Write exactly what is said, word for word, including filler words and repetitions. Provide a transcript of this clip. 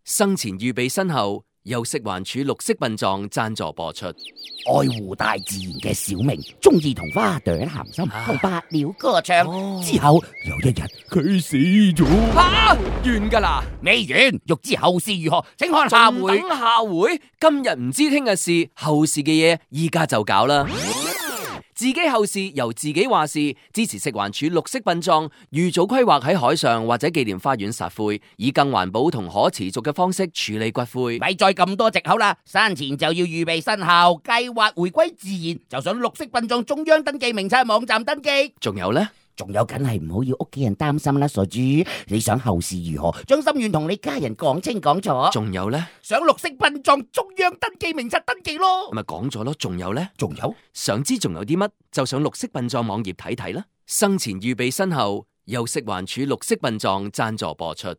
生前預備身後，由食環署綠色殯葬贊助播出。愛護大自然嘅小明，中意同花朵談心，同百鳥歌唱。哦之後有一日佢死咗。吓，完噶啦，未完，欲知後事如何，請看下回。等下回。今日唔知聽日事，後事嘅嘢依家就搞啦。自己後事由自己話事，支持食環署綠色殯葬，預早規劃喺海上或者紀念花園撒灰，以更環保同可持續嘅方式處理骨灰。咪再咁多藉口啦，生前就要預備身後，計劃回歸自然，就上綠色殯葬中央登記名冊網站登記。仲有呢？仲有梗係唔好要屋企人擔心啦，傻豬！你想後事如何，將心願同你家人講清講楚。仲有呢？上綠色殯葬中央登記名冊登記咯。咪講咗咯，仲有呢？仲有，想知仲有啲乜，就上綠色殯葬網頁睇睇啦。生前預備身後，由食環署綠色殯葬贊助播出。